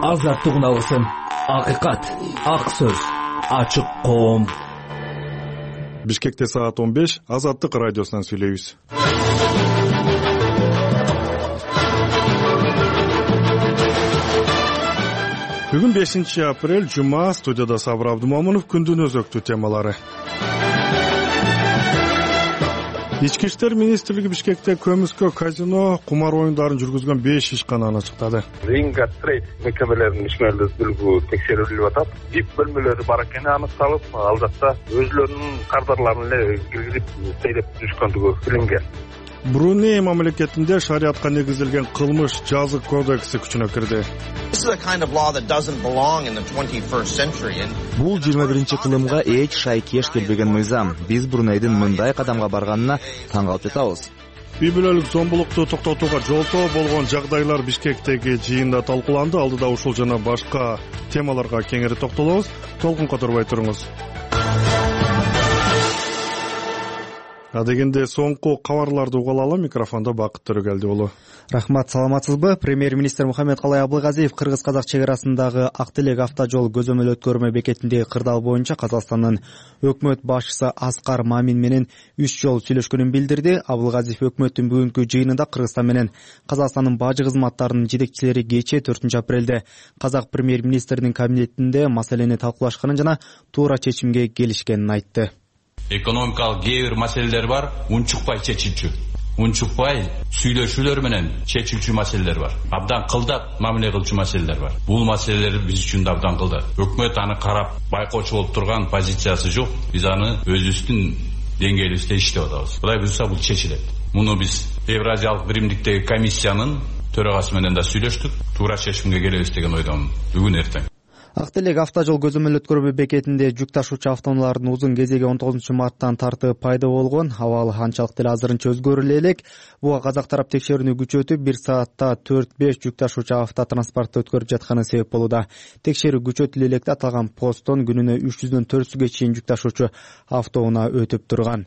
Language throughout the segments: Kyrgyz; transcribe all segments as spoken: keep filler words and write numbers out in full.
Азаттык унасын, акыйкат, ак сөз, ачык коом. Бишкекте саат он беш, Азаттык радиосунан сүйлөйбүз. Бүгүн бешинчи апрель, жума. Студияда Сабыр Абдумомунов. Күндүн өзөктүү темалары. Ички иштер министрлиги Бишкекте көмүскө, казино, кумар оюндарын жүргүзгөн беш ишкананы ачыктады. Ринга трейд мекемелеринин ишмерлүүлүгү текшерилип атат. Бип бөлмөлөрү бар экени аныкталып, ал жакта өзлөрүнүн кардарларын эле киргизип сейреп жүрүшкөндүгү билинген. Бруней мамлекетинде шариатка негизилген кылмыш жазы кодекси күчүнө кирди. Бул жыйырма биринчи кылымга эч шайкеш келбеген мыйзам. Биз Брунейдин мындай кадамга барганына таң калып жатабыз. Үй бүлөлүк зомбулукту токтотууга жолтоо болгон жагдайлар Бишкектеги жыйында талкууланды. Алдыда ушул жана башка темаларга кеңири токтолобуз. Толкун которбой туруңуз. Адегенде соңку кабарларды угуп алалы. Микрофондо Бакыт Төрөгелди болу. Рахмат, саламатсызбы? Премьер-министр Мухаммедкалай Абылгазиев кыргыз-казак чек арасындагы Ак Телек автожол көзөмөл өткөрмө бекетиндеги кырдаал боюнча Казакстандын өкмөт башчысы Аскар Мамин менен үч жолу сүйлөшкөнүн билдирди. Абылгазиев өкмөттүн бүгүнкү жыйынында Кыргызстан менен Казакстандын бажы кызматтарынын жетекчилери кечээ төртүнчү апрелде казак премьер-министринин кабинетинде маселени талкуулашканын жана туура чечимге келишкенин айтты. Экономикалык кээ бир маселелер бар, унчукпай чечилчү. Унчукпай сүйлөшүүлөр менен чечилчү маселелер бар. Абдан кылдат мамиле кылчу маселелер бар. Бул маселелер биз үчүн да абдан кылдат. Өкмөт аны карап байкоочу болуп турган позициясы жок. Биз аны өзүбүздүн деңгээлибизде иштеп атабыз. Кудай буйрса бул чечилет. Муну биз Евразиялык биримдиктеги комиссиянын төрагасы менен да сүйлөштүк. Туура чечимге келебиз деген ойдомун бүгүн эртең. Ак Телек автожол көзөмөл өткөрмө бекетинде жүк ташуучу автоунаалардын узун кезеги он тогузунчу марттан тартып пайда болгон. Абал анчалык деле азырынча өзгөрүлө элек. Буга казак тарап текшерүүнү күчөтүп, бир саатта төрт беш жүк ташуучу автотранспорту өткөрүп жатканы себеп болууда. Текшерүү күчөтүлө электе аталган посттон күнүнө үч жүздөн төрт жүзгө чейин жүк ташуучу автоунаа өтүп турган.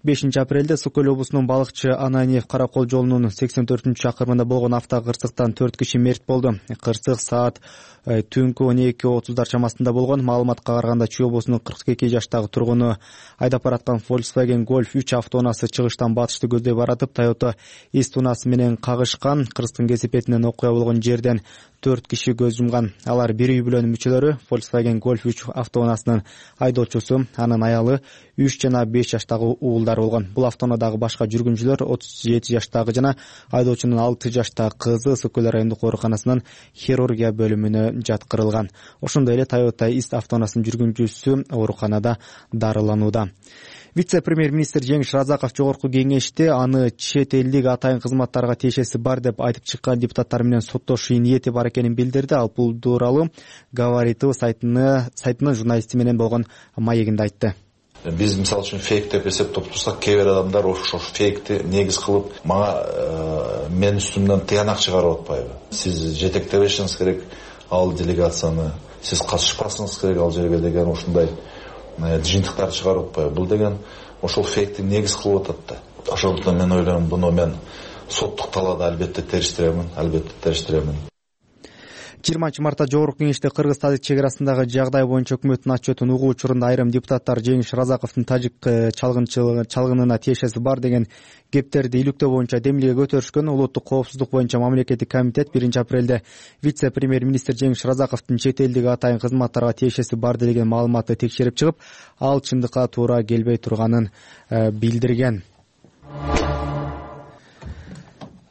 бешинчи апрелде Сокөл облусунун Балыкчы Ананьев Каракол жолунун сексен төртүнчү чакырымында болгон автокырсыктан төрт киши мерт болду. Кырсык саат түнкү он эки отуздар чамасында болгон. Маалыматка караганда Чүй облусунун кырк эки жаштагы тургуну айдап бараткан Volkswagen Golf үч автоунаасы чыгыштан батышты көздөй баратып, Toyota East унаасы менен кагышкан. Кырсыктын кесепетинен окуя болгон жерден төрт киши көз жумган. Алар бир үй бүлөнүн мүчөлөрү, Volkswagen Golf үч автоунаасынын айдоочусу, анын аялы, үч жана беш жаштагы уулдар болгон. Бул автоунаадагы башка жүргүнчүлөр отуз жети жаштагы жана айдоочунун алты жаштагы кызы Сокөл райондук ооруканасынын хирургия бөлүмүнө жаткырылган. Ошондой эле Toyota East автоунаасынын жүргүнчүсү ооруканада дарыланууда. Вице-премьер-министр Жеңиш Разаков жогорку кеңеште аны чет элдик атайын кызматтарга тиешеси бар деп айтып чыккан депутаттар менен соттошуу ниети бар экенин билдирди. Ал бул тууралуу Говоритыв сайтынын журналисти менен болгон маегинде айтты. Биз мисалы үчүн фейк деп эсептеп турсак, кээ бир адамдар ошо фейкти негиз кылып мага мен үстүмдөн тыянак чыгарып атпайбы? Сиз жетектебешиңиз керек ал делегацияны, сиз катышпасыңыз керек ал жерге деген ушундай жыйынтыктарды чыгарып атпайбы? Бул деген ошол фейкти негиз кылып атат да. Ошондуктан мен ойлойм, буну мен соттук талаада албетте териштиремин, албетте териштиремин. жыйырманчы мартта жогорку кеңеште кыргыз-тажик чек арасындагы жагдай боюнча өкмөттүн отчетун угуу учурунда айрым депутаттар Жеңиш Разаковдун тажик чалгынына тиешеси бар деген кептерди иликтөө боюнча демилге көтөрүшкөн. Улуттук коопсуздук боюнча мамлекеттик комитет биринчи апрелде вице-премьер-министр Жеңиш Разаковдун чет элдик атайын кызматтарга тиешеси бар деген маалыматты текшерип чыгып, ал чындыкка туура келбей турганын билдирген.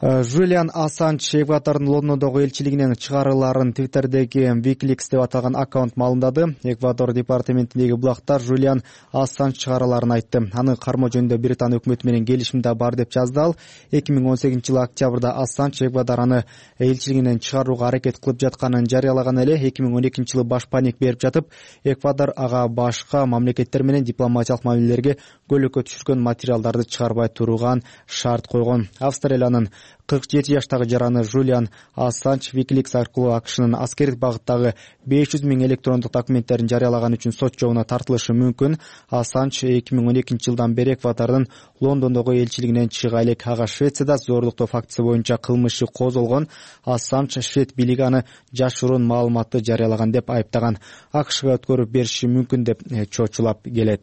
Жулиан Ассанж Эквадордун Лондондогу элчилигинен чыгарыларын Twitter'деги Wikileaks деп аталган аккаунт маалымдады. Эквадор департаментиндеги булактар Жулиан Ассанж чыгараларын айтты. Аны кармоо жөнүндө Британ өкмөтү менен келишимде бар деп жазды ал. эки миң он сегизинчи жылы октябрда Ассанж Эквадор аны элчилигинен чыгарууга аракет кылып жатканын жарыялаган эле. эки миң он экинчи жылы баш паник берип жатып, Эквадор ага башка мамлекеттер менен дипломатиялык мамилелерге көйлөккө түшүргөн материалдарды чыгарбай турган шарт койгон. Австралиянын кырк жети жаштагы жараны Жулиан Ассанж Wikileaks аркылуу АКШнын аскердик багыттагы беш жүз миң электрондук документтерин жарыялаган үчүн сот жообуна тартылышы мүмкүн. Ассанж эки миң он экинчи жылдан бери Эквадордун Лондондогу элчилигинен чыга элек. Ага Швецияда зорлуктоо фактысы боюнча кылмыш иши козголгон. Ассанж швед бийлиги аны жашыруун маалыматты жарыялаган деп айыптаган. АКШга өткөрүп бериши мүмкүн деп чочулап келет.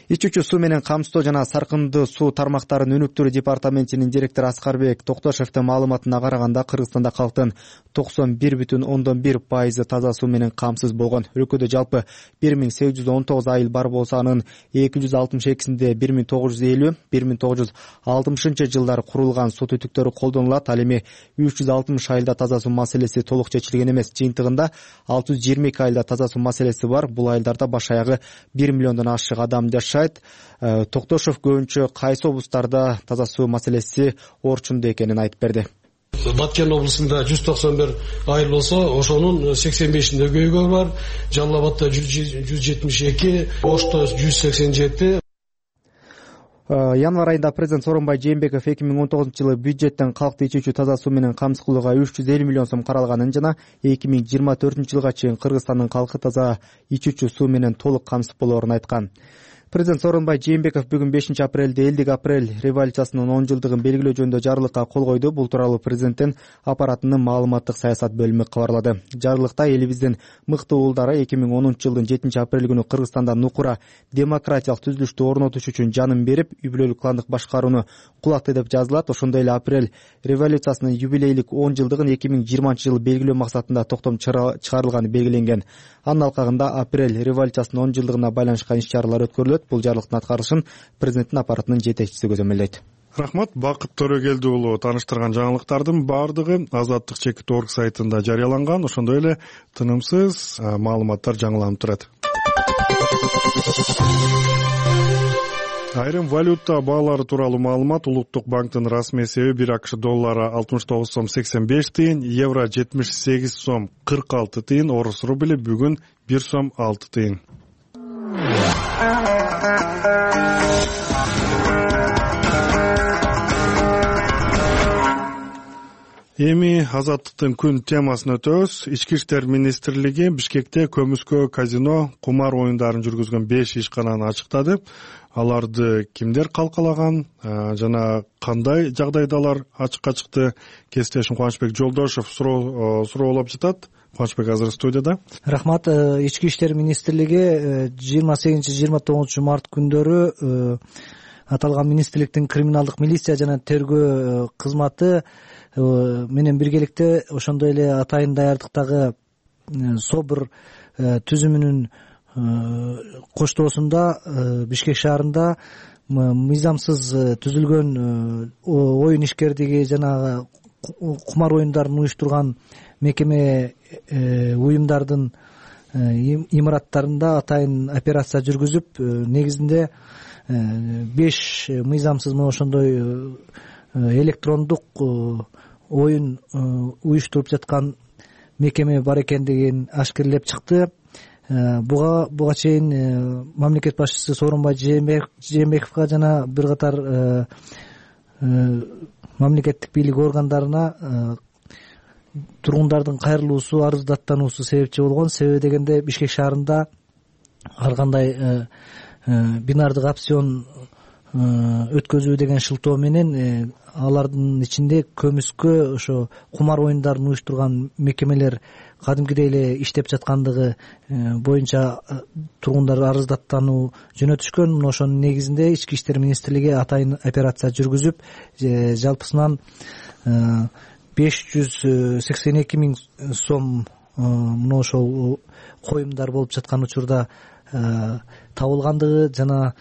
Ичүүчү суу менен камсыздоо жана саркындуу суу тармактарынын өнүктүрүү департаментинин директору Аскарбек Токтошевдин маалыматына караганда, Кыргызстанда калктын токсон бир бүтүн ондон бир пайызы таза суу менен камсыз болгон. Өлкөдө жалпы бир миң сегиз жүз он тогуз айыл бар болсо, анын эки жүз алтымыш экисинде бир миң тогуз жүз элүү бир миң тогуз жүз алтымышынчы жылдары курулган суу түтүктөрү колдонулат. Ал эми үч жүз алтымыш айылда таза суу маселеси толук чечилген эмес. Жыйынтыгында алты жүз жыйырма эки айылда таза суу маселеси бар. Бул айылдарда баш аягы бир миллиондон ашык адам жашайт. Токтошев көбүнчө кайсы облустарда таза суу маселеси орчундуу экенин айтып берди. Баткен облусунда жүз токсон бир айыл болсо, ошонун сексен бешинде көйгөй бар. Жалал Абадта жүз жетимиш эки, Ошто жүз сексен жети. Январь айында президент Сооронбай Жээнбеков эки миң он тогузунчу жылы бюджеттен калкты ичүүчү таза суу менен камсыз кылууга үч жүз элүү миллион сом каралганын жана эки миң жыйырма төртүнчү жылга чейин Кыргызстандын калкы таза ичүүчү суу менен толук камсыз болоорун айткан. Президент Сооронбай Жээнбеков бүгүн бешинчи апрелде элдик апрель революциясынын он жылдыгын белгилөө жөнүндө жарлыкка кол койду. Бул тууралуу президенттин аппаратынын маалыматтык саясат бөлүмү кабарлады. Жарлыкта элибиздин мыкты уулдары эки миң онунчу жылдын жетинчи апрель күнү Кыргызстанда нукура демократиялык түзүлүштү орнотуш үчүн жанын берип, үй бүлөлүк кландык башкарууну кулатты деп жазылат. Ошондой эле апрель революциясынын юбилейлик он жылдыгын эки миң жыйырманчы жылы белгилөө максатында токтом чыгарылганы белгиленген. Анын алкагында апрель революциясынын он жылдыгына байланышкан иш-чаралар өткөрүлөт. Бул жарлыктын аткарылышын президенттин аппаратынын жетекчиси көзөмөлдөйт. Рахмат. Бакыт Төрөгелди уулу тааныштырган жаңылыктардын баардыгы Азаттык чекит орг сайтында жарыяланган. Ошондой эле тынымсыз маалыматтар жаңыланып турат. Айрым валюта баалары тууралуу маалымат. Улуттук банктын расмий эсеби бир АКШ доллары алтымыш тогуз сом сексен беш тыйын, евро жетимиш сегиз сом кырк алты тыйын, орус рубли бүгүн бир сом алты тыйын. Эми Азаттыктын күн темасын өтөбүз. Ички иштер министрлиги Бишкекте көмүскө, казино, кумар оюндарын жүргүзгөн беш ишкананы ачыктады. Аларды кимдер калкалаган жана кандай жагдайда алар ачыкка чыкты? Кесиптешим Кубанычбек Жолдошев суроолоп жатат. Кубанычбек азыр студияда. Рахмат. Ички иштер министрлиги жыйырма сегизинчи жыйырма тогузунчу март күндөрү аталган министрликтин криминалдык милиция жана тергөө кызматы менен биргеликте ошондой эле атайын даярдыктагы СОБР түзүмүнүн коштоосунда Бишкек шаарында мыйзамсыз түзүлгөн оюн ишкердиги жана кумар оюндарын уюштурган мекеме уюмдардын имараттарында атайын операция жүргүзүп, негизинде беш мыйзамсыз мына ошондой электрондук оюн уюштуруп жаткан мекеме бар экендигин ашкерлеп чыкты. Буга буга чейин мамлекет башчысы Сооронбай Жээнбековго жана бир катар мамлекеттик бийлик органдарына тургундардын кайрылуусу, арыздаттануусу себепчи болгон. Себеби дегенде Бишкек шаарында ар кандай бинардык опцион өткөзүү деген шылтоо менен алардын ичинде көмүскө, ошо кумар оюндарын уюштурган мекемелер кадимкидей эле иштеп жаткандыгы боюнча тургундар арыздаттануу жөнөтүшкөн. Мына ошонун негизинде Ички иштер министрлиги атайын операция жүргүзүп, жалпысынан беш жүз сексен эки миң сом мына ошол коюмдар болуп жаткан учурда табылгандыгы жана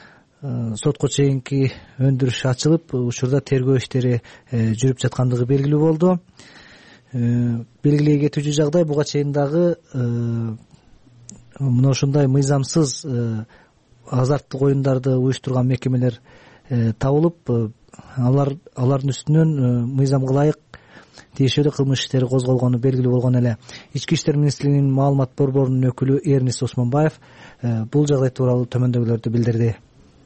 сотко чейинки өндүрүш ачылып, учурда тергөө иштери жүрүп жаткандыгы белгилүү болду. Белгилей кетүүчү жагдай, буга чейин дагы мына ошондой мыйзамсыз азарттык оюндарды уюштурган мекемелер табылып, алар алардын үстүнөн мыйзамга ылайык тиешелүү кылмыш иштери козголгону белгилүү болгон эле. Ички иштер министрлигинин маалымат борборунун өкүлү Эрнис Осмонбаев бул жагдай тууралуу төмөндөгүлөрдү билдирди.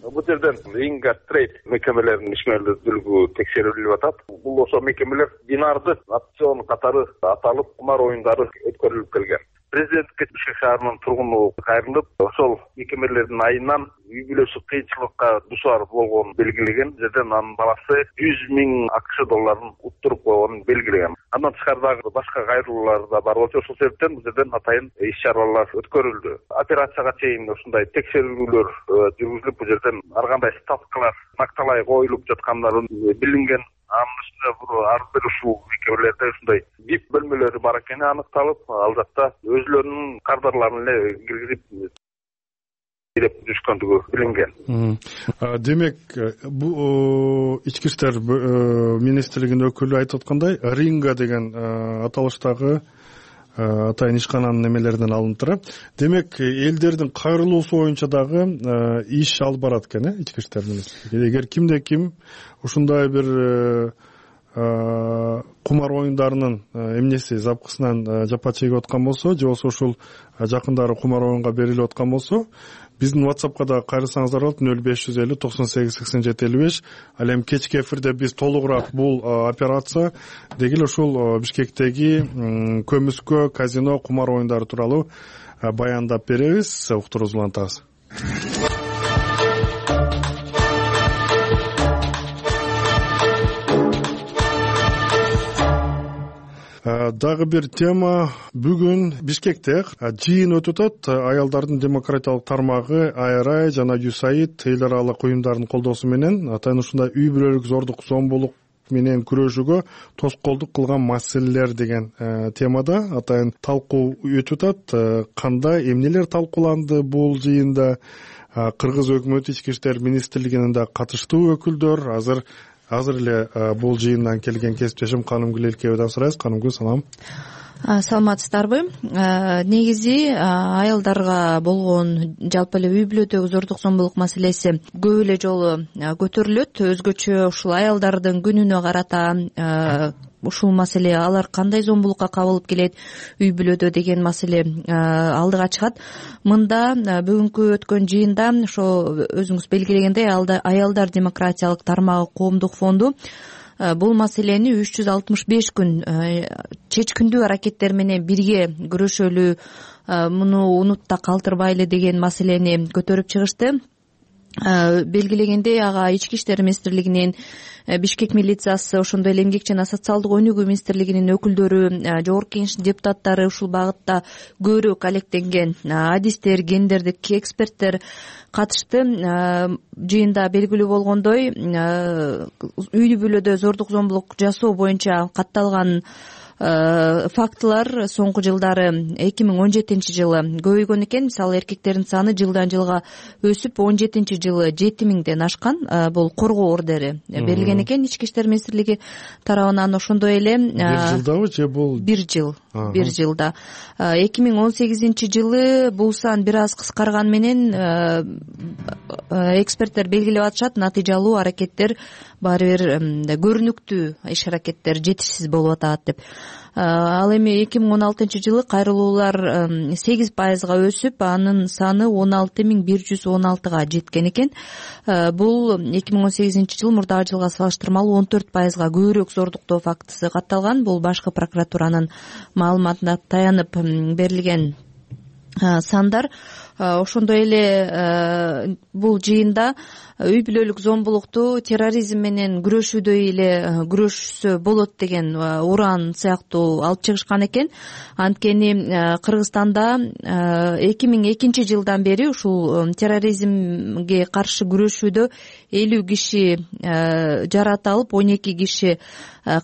Бул жерден Ринга Трейд мекемелеринин ишмердүүлүгү текшерилип атат. Бул ошо мекемелер динарды опцион катары аталып кумар оюндары өткөрүлүп келген. Президентке Бишкек шаарынын тургуну кайрылып, ошол мекемелердин айынан үй бүлөсү кыйынчылыкка дуушар болгонун белгилеген. Жерден анын баласы жүз миң АКШ долларын уттуруп койгонун белгилеген. Андан тышкары дагы башка кайрылуулар да бар болчу. Ошол себептен бул жерден атайын иш-чаралар өткөрүлдү. Операцияга чейин ушундай текшерүүлөр жүргүзүлүп, бул жерден ар кандай ставкалар накталай коюлуп жаткандары билинген. Анын үстүнө бул ар бир ушул мекемелерде ушундай вип бөлмөлөрү бар экени аныкталып, ал жакта өзлөрүнүн кардарларын эле киргизип деп жүрүшкөндүгү билинген. Демек, бул ички иштер министрлигинин өкүлү айтып аткандай, Ринга деген аталыштагы атайын ишкананын немелеринен алынып турат. Демек, элдердин кайрылуусу боюнча дагы иш алып барат экен, э, ички иштер министрлиги. Эгер кимде ким ушундай бир кумар оюндарынын эмнеси запкысынан жапа чегип аткан болсо, же болбосо ушул жакындары кумар оюнга берилип аткан болсо, биздин WhatsAppка да кайрылсаңыздар болот. нөл беш жүз элүү токсон сегиз сексен жети элүү беш. Ал эми кечки эфирде биз толугураак бул операция деги эле ушул Бишкектеги көмүскө, казино, кумар оюндары тууралуу баяндап беребиз. Уктуруубузду улантабыз. Дагы бир тема, бүгүн Бишкекте жыйын өтүп атат. Аялдардын демократиялык тармагы ай ар ай жана ю эс эй ай эл аралык уюмдардын колдоосу менен атайын ушундай үй бүлөлүк зордук зомбулук менен күрөшүүгө тоскоолдук кылган маселелер деген темада атайын талкуу өтүп атат. Кандай эмнелер талкууланды бул жыйында? Кыргыз өкмөтү ички иштер министрлигинин да катыштуу өкүлдөр азыр Азыр эле бул жыйындан келген кесиптешим Канымгүл Элкебайдан сурайбыз. Канымгүл, салам. Саламатсыздарбы? Негизи аялдарга болгон жалпы эле үй бүлөдөгү зордук зомбулук маселеси көп эле жолу көтөрүлөт. Өзгөчө ушул аялдардын күнүнө карата ушул маселе, алар кандай зомбулукка кабылып келет үй бүлөдө деген маселе алдыга чыгат. Мында бүгүнкү өткөн жыйында ошо өзүңүз белгилегендей аялдар демократиялык тармагы коомдук фонду бул маселени үч жүз алтымыш беш күн чечкиндүү аракеттер менен бирге күрөшөлү, муну унутта калтырбайлы деген маселени көтөрүп чыгышты. Белгилегендей, ага ички иштер министрлигинин, Бишкек милициясы, ошондой эле эмгек жана социалдык өнүгүү министрлигинин өкүлдөрү, жогорку кеңештин депутаттары ушул багытта көбүрөөк алектенген адистер, гендердик эксперттер катышты. Жыйында белгилүү болгондой, үй бүлөдө зордук зомбулук жасоо боюнча катталган фактылар соңку жылдары эки миң он жетинчи жылы көбөйгөн экен. Мисалы, эркектердин саны жылдан жылга өсүп он жетинчи жылы жети миңден ашкан. Бул коргоо ордери берилген экен ички иштер министрлиги тарабынан. Ошондой эле бир жылдабы же бул бир жыл бир жылда эки миң он сегизинчи жылы бул сан бир аз кыскарган менен эксперттер белгилеп атышат, натыйжалуу аракеттер баары бир көрүнүктүү иш аракеттер жетишсиз болуп атат деп. Ал эми эки миң он алтынчы жылы кайрылуулар сегиз пайызга өсүп, анын саны он алты миң бир жүз он алтыга жеткен экен. Бул эки миң он сегизинчи жыл мурдагы жылга салыштырмалуу он төрт пайызга көбүрөөк зордуктоо фактысы катталган. Бул башкы прокуратуранын маалыматына таянып берилген сандар. Ошондой эле бул жыйында үй бүлөлүк зомбулукту терроризм менен күрөшүүдөй эле күрөшсө болот деген уран сыяктуу алып чыгышкан экен. Анткени Кыргызстанда эки миң экинчи жылдан бери ушул терроризмге каршы күрөшүүдө элүү киши жараталып, он эки киши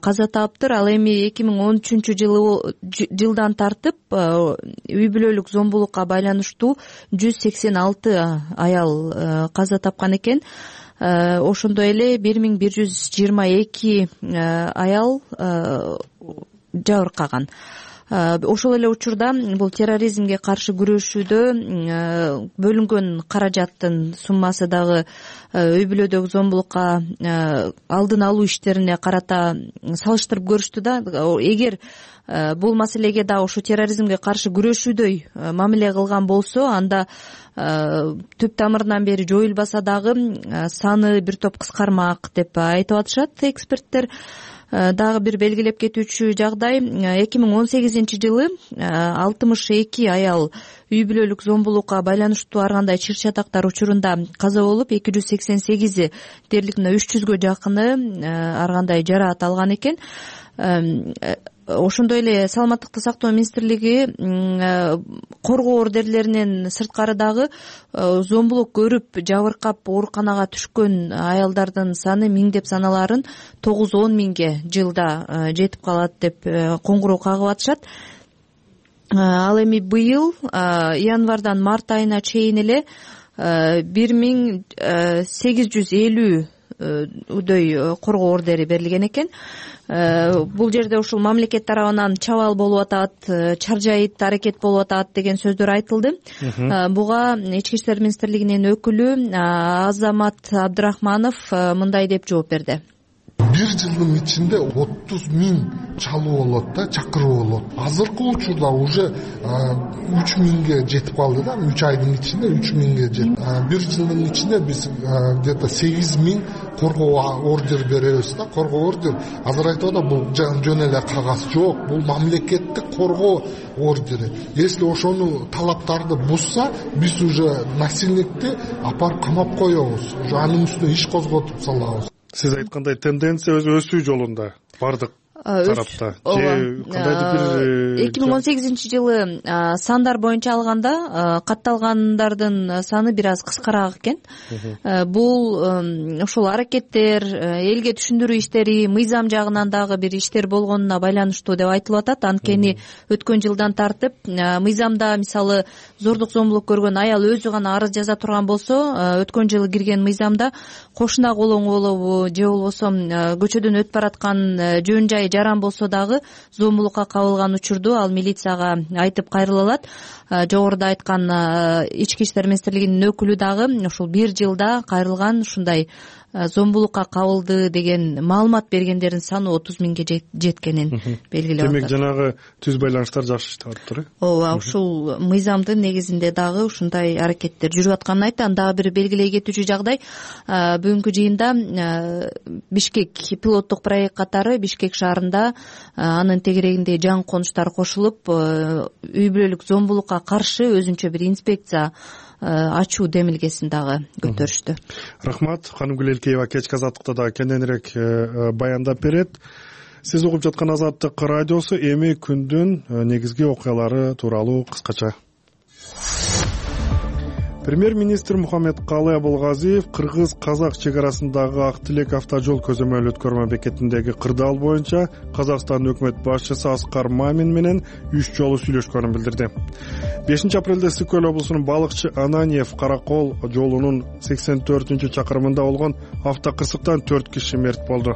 каза таптыр. Ал эми эки миң он үчүнчү жылы жылдан тартып үй бүлөлүк зомбулукка байланыштуу жүз сексен алты аял каза тапкан экен. Ошондой эле бир миң бир жүз жыйырма эки аял жабыркаган. ошол эле учурда бул терроризмге каршы күрөшүүдө бөлүнгөн каражаттын суммасы дагы үй бүлөдөгү зомбулукка алдын алуу иштерине карата салыштырып көрүштү да. Эгер бул маселеге да ошо терроризмге каршы күрөшүүдөй мамиле кылган болсо, анда түп тамырынан бери жоюлбаса дагы саны бир топ кыскармак деп айтып атышат эксперттер. Дагы бир белгилеп кетүүчү жагдай, эки миң он сегизинчи жылы алтымыш эки аял үй бүлөлүк зомбулукка байланыштуу ар кандай чыр чатактар учурунда каза болуп, эки жүз сексен сегизи дээрлик мына үч жүзгө жакыны ар кандай жараат алган экен. Ошондой эле Саламаттыкты сактоо министрлиги коргоо ордерлеринен сырткары дагы зомбулук көрүп жабыркап ооруканага түшкөн аялдардын саны миңдеп саналарын тогуз он миңге жылда жетип калат деп коңгуроо кагып атышат. Ал эми быйыл январдан март айына чейин эле бир миң сегиз жүз элүүдөй коргоо ордери берилген экен. Бул жерде ушул мамлекет тарабынан чабаал болуп атат, чаржайыт аракет болуп атат деген сөздөр айтылды. Буга Ички иштер министрлигинин өкүлү Азамат Абдрахманов мындай деп жооп берди. Бир жылдын ичинде отуз миң чалуу болот да, чакыруу болот. Азыркы учурда уже үч миңге жетип калды да, үч айдын ичинде үч миңге жетти. Бир жылдын ичинде биз где-то сегиз миң коргоо ордер беребиз да. Коргоо ордер азыр айтып атат, бул жөн эле кагаз жок, бул мамлекеттик коргоо ордери. Если ошону талаптарды бузса, биз уже насильникти апарып камап коебуз. Уже анын үстүнө иш козготуп салабыз. Сиз айткандай тенденция өзү өсүү жолунда бардык тарапта. эки миң он сегизинчи жылы сандар боюнча алганда катталгандардын саны бир аз кыскараак экен. Бул ушул аракеттер, элге түшүндүрүү иштери, мыйзам жагынан дагы бир иштер болгонуна байланыштуу деп айтылып атат. Анткени өткөн жылдан тартып мыйзамда мисалы зордук зомбулук көргөн аял өзү гана арыз жаза турган болсо, өткөн жылы кирген мыйзамда кошуна колоң болобу же болбосо көчөдөн өтүп бараткан жөн жай жаран болсо дагы зомбулукка кабылган учурду ал милицияга айтып кайрыла алат. Жогоруда айткан Ички иштер министрлигинин өкүлү дагы ушул бир жылда кайрылган ушундай зомбулукка кабылды деген маалымат бергендердин саны отуз миңге жеткенин белгилеп атат. Демек жанагы түз байланыштар жакшы иштеп атыптыр. Ооба, ушул мыйзамдын негизинде дагы ушундай аракеттер жүрүп атканын айтты. Дагы бир белгилей кетүүчү жагдай, бүгүнкү жыйында Бишкек пилоттук проект катары Бишкек шаарында анын тегерегинде жаңы конуштар кошулуп, үй бүлөлүк зомбулукка каршы өзүнчө бир инспекция ачуу демилгесин дагы көтөрүштү. Рахмат. Канымгүл Элкеева кечки Азаттыкта дагы кененирээк баяндап берет. Сиз угуп жаткан Азаттык радиосу эми күндүн негизги окуялары тууралуу кыскача. Премьер-министр Мухаммедкалы Абылгазиев кыргыз-казак чек арасындагы Ак Тилек автожол көзөмөл өткөрмө бекетиндеги кырдаал боюнча Казакстан өкмөт башчысы Аскар Мамин менен үч жолу сүйлөшкөнүн билдирди. бешинчи апрелде Ысык Көл облусунун Балыкчы Ананьев Каракол жолунун сексен төртүнчү чакырымында болгон автокырсыктан төрт киши мерт болду.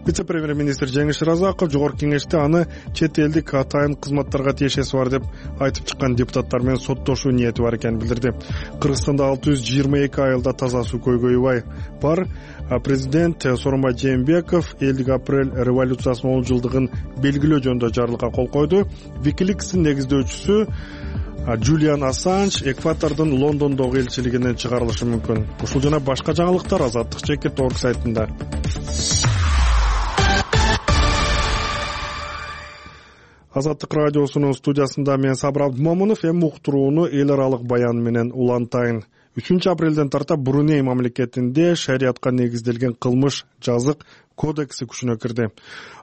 Вице-премьер-министр Жеңиш Разаков жогорку кеңеште аны чет элдик атайын кызматтарга тиешеси бар деп айтып чыккан депутаттар менен соттошуу ниети бар экенин билдирди. Кыргызстанда алты жүз жыйырма эки айылда таза суу көйгөйү бар. Президент Сооронбай Жээнбеков элдик апрель революциясынын он жылдыгын белгилөө жөнүндө жарлыкка кол койду. Wikileaks'ин негиздөөчүсү Джулиан Ассанж Эквадордун Лондондогу элчилигинен чыгарылышы мүмкүн. Ушул жана башка жаңылыктар Азаттык чекит точка орг сайтында. Азаттык радиосунун студиясында мен Сабыр Абдмомунов, эми уктурууну эл аралык баян менен улантайын. үчүнчү апрелден тарта Бруней мамлекетинде шариатка негизделген кылмыш жазык кодекси күчүнө кирди.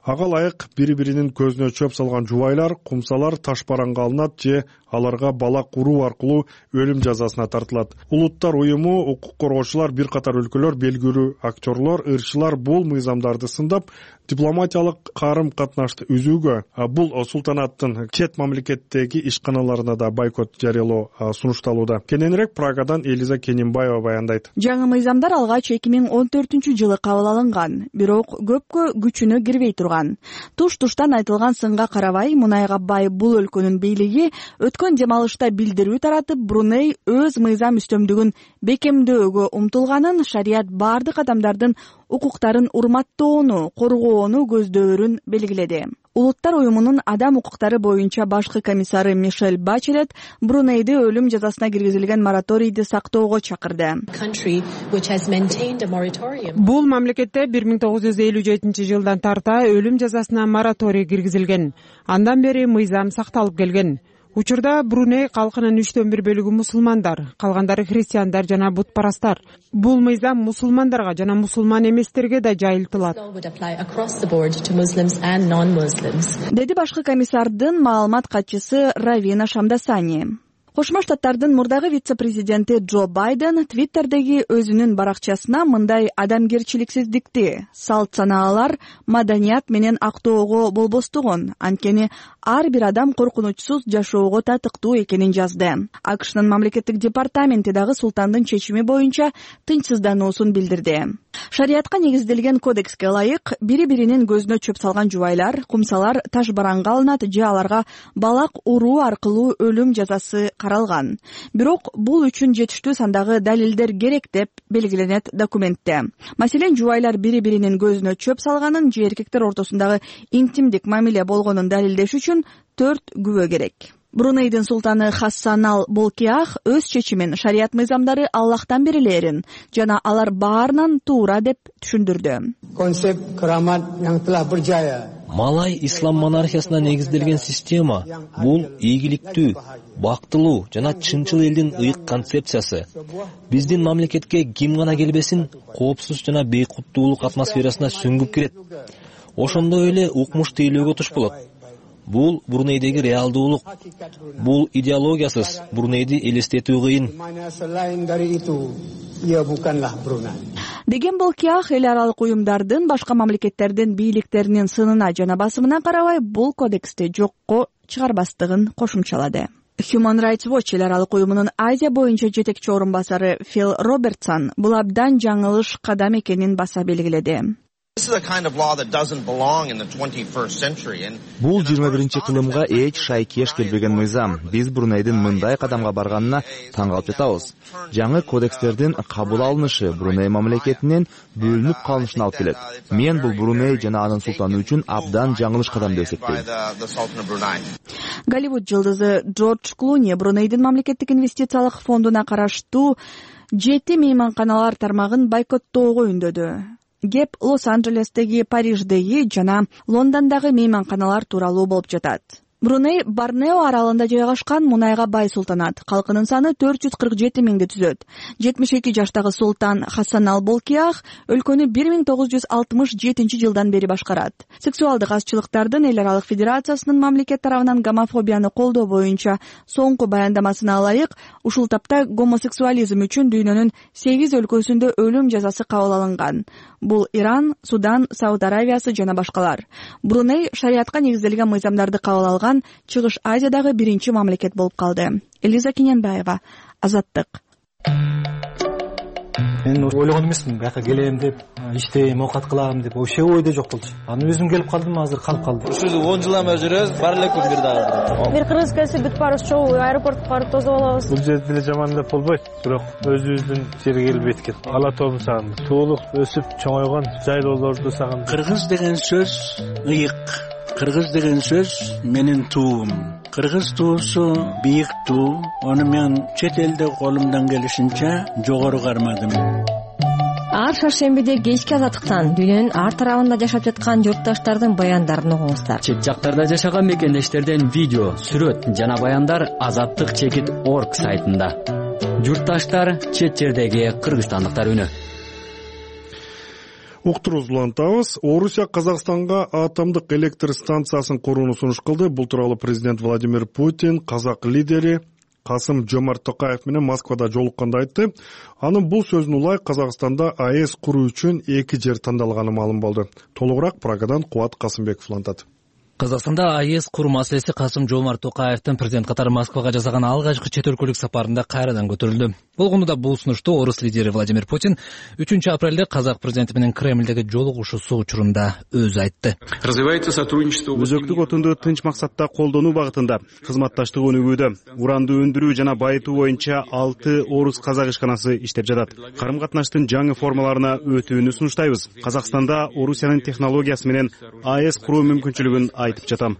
Ага ылайык бири-биринин көзүнө чөп салган жубайлар, кумсалар таш бараңга алынат же аларга балак уруу аркылуу өлүм жазасына тартылат. Улуттар уюму, укук коргоочулар, бир катар өлкөлөр, белгилүү актерлор, ырчылар бул мыйзамдарды сындап, дипломатиялык карым-катнашты үзүүгө, бул султанаттын чет мамлекеттеги ишканаларына да бойкот жарыялоо сунушталууда. Кененирээк Прагадан Элиза Кенимбаева баяндайт. Жаңы мыйзамдар алгач эки миң он төртүнчү жылы кабыл алынган, бирок бирок көпкө күчүнө кирбей турган. Туш-туштан айтылган сынга карабай, мунайга бай бул өлкөнүн бийлиги өткөн дем алышта билдирүү таратып, Бруней өз мыйзам үстөмдүгүн бекемдөөгө умтулганын, шарият бардык адамдардын укуктарын урматтоону, коргоону көздөөрүн белгиледи. Улуттар уюмунун адам укуктары боюнча башкы комиссары Мишель Бачелет Брунейди өлүм жазасына киргизилген мораторийди сактоого чакырды. Бул мамлекетте бир миң тогуз жүз элүү жетинчи жылдан тарта өлүм жазасына мораторий киргизилген. Андан бери мыйзам сакталып келген. Учурда Бруней калкынын үчтөн бир бөлүгү мусулмандар, калгандары христиандар жана бутпарастар. Бул мыйзам мусулмандарга жана мусулман эместерге да жайылтылат, деди башкы комиссардын маалымат катчысы Равина Шамдасани. Кошмо Штаттардын мурдагы вице-президенти Джо Байден Твиттердеги өзүнүн баракчасына мындай адамгерчиликсиздикти, салт санаалар, маданият менен актоого болбостугун, анткени ар бир адам коркунучсуз жашоого татыктуу экенин жазды. АКШнын мамлекеттик департаменти дагы султандын чечими боюнча тынчсыздануусун билдирди. Шариятка негизделген кодекске ылайык, бири-биринин көзүнө чөп салган жубайлар, кумсалар таш бараңга алынат же аларга балак уруу аркылуу өлүм жазасы каралган. Бирок бул үчүн жетиштүү сандагы далилдер керек деп белгиленет документте. Маселен, жубайлар бири-биринин көзүнө чөп салганын же эркектер ортосундагы интимдик мамиле болгонун далилдеш үчүн төрт күбө керек. Брунейдин султаны Хассанал Болкиах өз чечимин шарият мыйзамдары Аллахтан берилерин жана алар баарынан туура деп түшүндүрдү. Малай ислам монархиясына негизделген система бул ийгиликтүү, бактылуу жана чынчыл элдин ыйык концепциясы. Биздин мамлекетке ким гана келбесин, коопсуз жана бейкуттуулук атмосферасына сүңгүп кирет. Ошондой эле укмуш тейлөөгө туш болот. Бул Брунейдеги реалдуулук. Бул идеологиясыз Брунейди элестетүү кыйын. Деген Болкиах эл аралык уюмдардын башка мамлекеттердин бийликтеринин сынына жана басымына карабай бул кодексти жокко чыгарбастыгын кошумчалады. Human Rights Watch эл аралык уюмунун Азия боюнча жетекчи орун басары Фил Робертсон бул абдан жаңылыш кадам экенин баса белгиледи. Бул жыйырма биринчи кылымга эч шайкеш келбеген мыйзам. Биз Брунейдин мындай кадамга барганына таң калып жатабыз. Жаңы кодекстердин кабыл алынышы Бруней мамлекетинен бөлүнүп калышына алып келет. Мен бул Бруней жана анын султаны үчүн абдан жаңылыш кадам деп эсептейм. Голливуд жылдызы Джордж Клуни Брунейдин мамлекеттик инвестициялык фондуна караштуу жети мейманканалар тармагын бойкоттоого үндөдү. Геп Лос-Анджелестеги, Париждеги жана Лондондогу мейманканалар тууралуу болуп жатат. Бруней Борнео аралында жайгашкан мунайга бай султанат. Калкынын саны төрт жүз кырк жети миңди түзөт. жетимиш эки жаштагы султан Хассанал Болкиах өлкөнү бир миң тогуз жүз алтымыш жетинчи жылдан бери башкарат. Сексуалдык азчылыктардын эл аралык федерациясынын мамлекет тарабынан гомофобияны колдоо боюнча соңку баяндамасына ылайык, ушул тапта гомосексуализм үчүн дүйнөнүн сегиз өлкөсүндө өлүм жазасы кабыл алынган. Бул Иран, Судан, Сауд Аравиясы жана башкалар. Бруней шариятка негизделген мыйзамдарды кабыл алган Чыгыш Азиядагы биринчи мамлекет болуп калды. Элиза Кененбаева, Азаттык. Мен ойлогон эмесмин, бияка келем деп, иштейм, оокат кылам деп, вообще ойдо жок болчу. Аны өзүм келип калдым, азыр калып калдым. Ушул он жылдан бери жүрөбүз, бар эле күн бир дагы. Бир кыргыз келсе бүт барыбыз чогуу аэропортко барып тосуп алабыз. Бул жерде деле жаман деп болбойт, бирок өзүбүздүн жерге келип эткил. Ала тообун сагындым. Туулук өсүп чоңойгон жайлоолорду сагындым. Кыргыз деген сөз ыйык. Кыргыз деген сөз менин туум. Кыргыз туусу бийик туу. Ону мен чет элде колумдан келишинче жогору кармадым. Ар шаршембиде кечки Азаттыктан дүйнөнүн ар тарабында жашап жаткан журтташтардын баяндарын угуңуздар. Чет жактарда жашаган мекендештерден видео, сүрөт жана баяндар Азаттык чекит точка орг сайтында. Журтташтар, чет жердеги кыргызстандыктар үнү. Уктуруубузду улантабыз. Орусия Казакстанга атомдук электр станциясын курууну сунуш кылды. Бул тууралуу президент Владимир Путин казак лидери Касым-Жомарт Токаев менен Москвада жолукканда айтты. Анын бул сөзүнө улай Казакстанда АЭС куруу үчүн эки жер тандалганы маалым болду. Толугураак Прагадан Кубат Касымбеков улантат. Казакстанда АЭС куруу маселеси Касым-Жомарт Токаевдин президент катары Москвага жасаган алгачкы чет өлкөлүк сапарында кайрадан көтөрүлдү. Болгондо да бул сунушту орус лидери Владимир Путин үчүнчү апрелде казак президенти менен Кремлдеги жолугушуусу учурунда өзү айтты. Өзөктүк отунду тынч максатта колдонуу багытында кызматташтык өнүгүүдө, уранды өндүрүү жана байытуу боюнча алты орус казак ишканасы иштеп жатат. Карым катнаштын жаңы формаларына өтүүнү сунуштайбыз. Казакстанда Орусиянын технологиясы менен АЭС куруу мүмкүнчүлүгүн айтып жатам,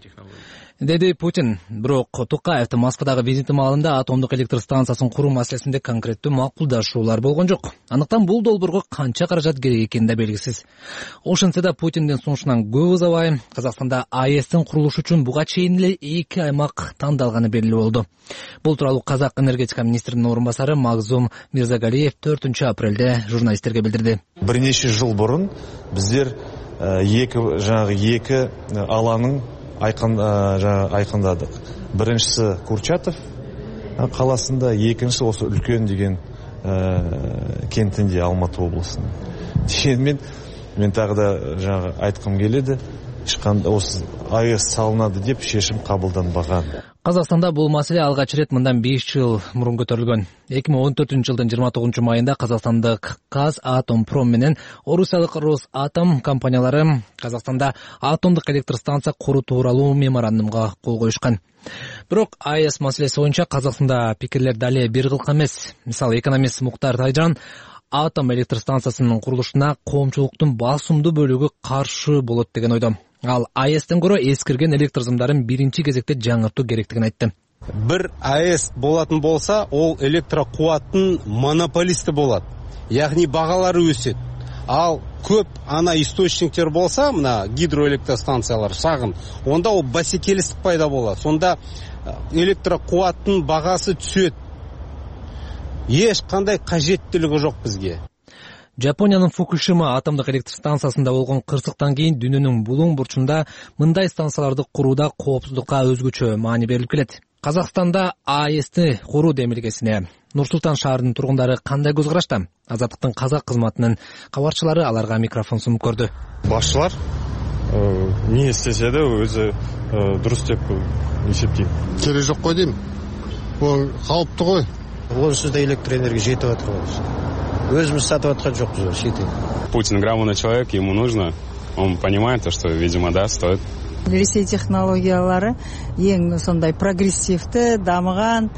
деди Путин. Бирок Токаевдин Москвадагы визити маалында атомдук электр станциясын куруу маселесинде конкреттүү макулдашуулар болгон жок. Андыктан бул долбоорго канча каражат керек экени да белгисиз. Ошентсе да Путиндин сунушунан көп узабай Казакстанда АЭСтин курулушу үчүн буга чейин эле эки аймак тандалганы белгилүү болду. Бул тууралуу Казак энергетика министринин орун басары Магзум Мирзагалиев төртүнчү апрелде журналисттерге билдирди. Бир нече жыл бурун биздер эки жаңагы эки алаңын айкын айкындадык. Биринчиси Курчатов каласында, экинчиси осы үлкен деген кентинде, Алматы облусунун. Дегенмен мен тагы да жаңагы айткым келеди, эч кандай осы АЭС салынады деп чечим кабылданбаган. Казакстанда бул маселе алгач рет мындан беш жыл мурун көтөрүлгөн. эки миң он төртүнчү жылдын жыйырма тогузунчу майында казакстандык Казатомпром менен орусиялык Росатом компаниялары Казакстанда атомдук электр станция куруу тууралуу меморандумга кол коюшкан. Бирок АЭС маселеси боюнча Казакстанда пикирлер дале бир кылка эмес. Мисалы, экономист Муктар Тайжан атом электр станциясынын курулушуна коомчулуктун басымдуу бөлүгү каршы болот деген ойдо. Ал АЭСтен көрө эскирген электр сымдарын биринчи кезекте жаңыртуу керектигин айтты. Бир АЭС болатын болса, ол электрокубаттын монополисти болот. Яғни багалары өсөт. Ал көп ана источниктер болса, мына гидроэлектростанциялар шагын, онда ол бәсекелестик пайда болот. Сонда электрокубаттын багасы түсөт. Эч кандай кажеттүүлүгү жок бизге. Жапониянын Фукушима атомдук электр станциясында болгон кырсыктан кийин дүйнөнүн булуң бурчунда мындай станцияларды курууда коопсуздукка өзгөчө маани берилип келет. Казакстанда АЭСти куруу демилгесине Нур-Султан шаарынын тургундары кандай көз карашта? Азаттыктын казак кызматынын кабарчылары аларга микрофон сунуп көрдү. Башчылар эмне истесе да өзү дурус деп эсептейт. Кереги жок кой дейм. Бул калыптуу гой. Орусияда электр энергия жетип атыр. Өзүмүз сатып аткан жокпуз, шетел. Путин грамотный человек, ему нужно, он понимает, что, видимо, да, стоит. Ресей технологиялары эң сондай прогрессивдүү, дамыган,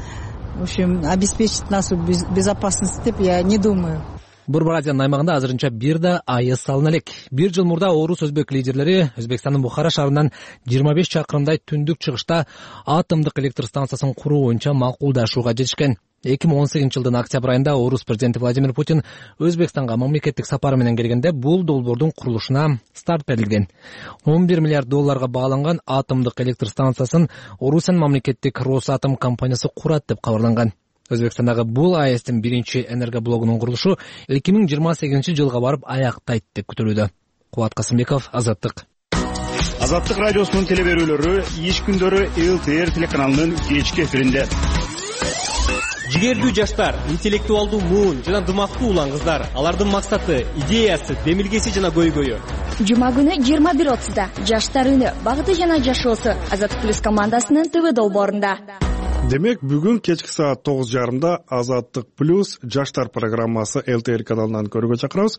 в общем, обеспечит нашу безопасность деп я не думаю. Борбор Азиянын аймагында азырынча бир да АЭС салына элек. Бир жыл мурда орус өзбек лидерлери Өзбекстандын Бухара шаарынан жыйырма беш чакырымдай түндүк чыгышта атомдук электр станциясын куруу боюнча макулдашууга жетишкен. эки миң он сегизинчи жылдын октябрь айында орус президенти Владимир Путин Өзбекстанга мамлекеттик сапары менен келгенде бул долбоордун курулушуна старт берилген. он бир миллиард долларга бааланган атомдук электр станциясын Орусиянын мамлекеттик Росатом компаниясы курат деп кабарланган. Өзбекстандагы бул АЭСтин биринчи энергоблогунун курулушу эки миң жыйырма сегизинчи жылга барып аяктайт деп күтүлүүдө. Кубат Касымбеков, Азаттык. Азаттык радиосунун телеберүүлөрү иш күндөрү ЛТР телеканалынын кечки эфиринде. Жигердүү жаштар, интеллектуалдуу муун жана дымактуу улан кыздар, алардын максаты, идеясы, демилгеси жана көйгөйү. Жума күнү жыйырма бир отузда жаштар үнү, багыты жана жашоосу Азаттык плюс командасынын ТВ долбоорунда. Демек, бүгүн кечки саат тогуз жарымда Азаттык плюс жаштар программасы ЛТР каналынан көрүүгө чакырабыз.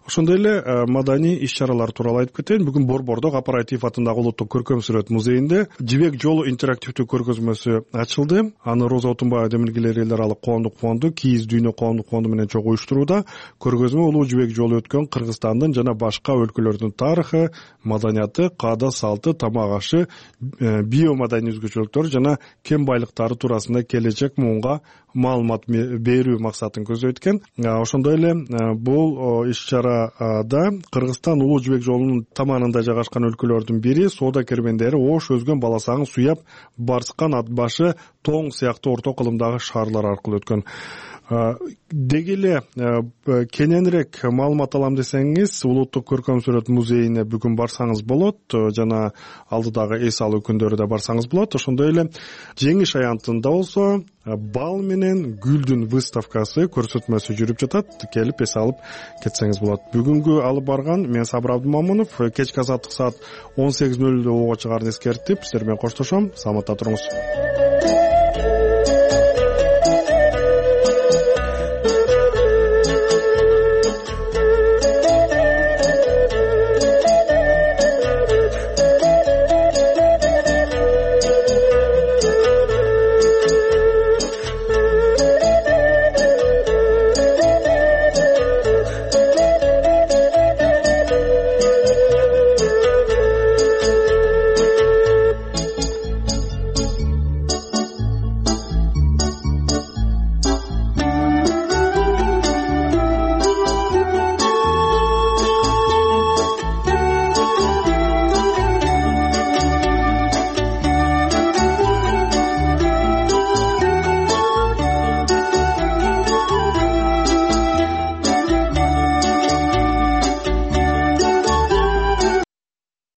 Ошондой эле маданий иш-чаралар тууралуу айтып кетейин. Бүгүн Борбордо Апаратив атындагы улуттук көркөм сүрөт музейинде Жибек жолу интерактивдүү көргөзмөсү ачылды. Аны Роза Отунбаева демилгелери эл аралык коомдук фонду, Кийиз дүйнө коомдук фонду менен чогуу уюштурууда. Көргөзмө улуу жибек жолу өткөн Кыргызстандын жана башка өлкөлөрдүн тарыхы, маданияты, каада салты, тамак ашы, биомаданий өзгөчөлүктөр жана кен байлыктары туурасында келечек муунга маалымат берүү максатын көздөйт экен. Ошондой эле бул иш-чара да Кыргызстан улуу жибек жолунун таманында жайгашкан өлкөлөрдүн бири соода кербендери Ош өзгөн баласагын суяп, Барскан, Ат башы, Тоң сыяктуу орто кылымдагы шаарлар аркылуу өткөн. Деги эле кененирээк маалымат алам десеңиз, Улуттук көркөм сүрөт музейине бүгүн барсаңыз болот, жана алдыдагы эс алуу күндөрү да барсаңыз болот. Ошондой эле Жеңиш аянтында болсо бал менен гүлдүн выставкасы, көрсөтмөсү жүрүп жатат. Келип эс алып кетсеңиз болот. Бүгүнкү алып барган мен Сабыр Абдымамунов. Кечки азаттык саат он сегиз нөл нөлдө ого чыгарын эскертип, сиздер менен коштошом. Саламатта туруңуз.